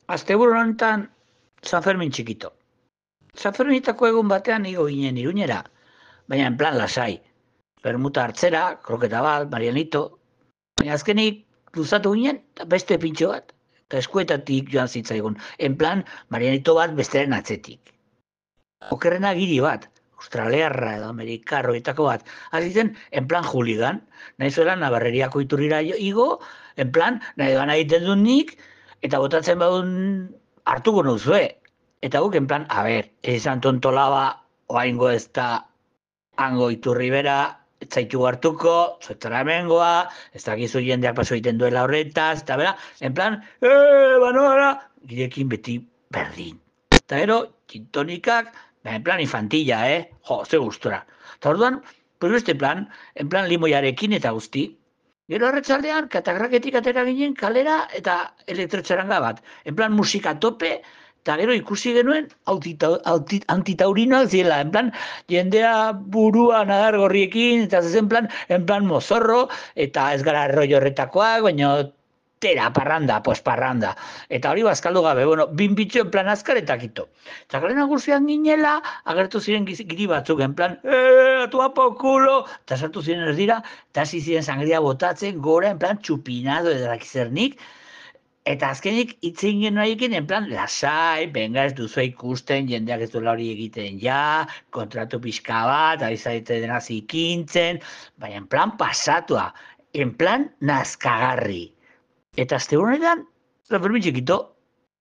Asteburu honetan San Fermin txikito. San Ferminetako egun batean igo ginen Iruñera, baina en plan lasai. Bermuta hartzera, kroketa bat, Marianito. Baina azkenik luzatu ginen, eta beste pintxo bat. Eta eskuetatik joan zitzaigun. En plan, Marianito bat besteren atzetik. Okerrena giri bat, australiarra edo amerikarroetako bat. Azitzen, en plan juligan. Nahi zuela Navarreriako iturrira igo, en plan, nahi doan egiten dut nik, eta botatzen badun hartuko nuzue. Eta guk, en plan, a ber, izan tontolaba, oaingo ez da hango iturri bera, ez zaitu hartuko, zuetara hemengoa, ez dakizu jendeak paso egiten duela horretaz, eta bera, en plan, banoara, girekin beti berdin. Eta gero, txintonikak, en plan infantilla, Jo, ze gustora. Eta orduan, pues beste plan, en plan limoiarekin eta guzti. Gero arratsaldean katakraketik atera ginen kalera eta elektrotxaranga bat. En plan musika tope, eta gero ikusi genuen antitaurinoak ziela. En plan, jendea buruan adar gorriekin, eta zezen plan, en plan mozorro, eta ez gara rollo horretakoak, baina tera, parranda, pues parranda. Eta hori bazkaldu gabe, bueno, binbitxo en plan azkar eta kito. Eta garen agurzian ginela, agertu ziren giri batzuk, en plan, atua pokulo, eta sartu ziren ez dira, eta hasi ziren sangria botatzen, gora, en plan, txupinado edakizernik, eta azkenik itzein genuen en plan, lasai, benga ez duzu ikusten, jendeak ez duela hori egiten ja, kontratu pixka bat, abizaite dena zikintzen, baina en plan pasatua, en plan nazkagarri. Eta azte honetan, San Fermin txikito,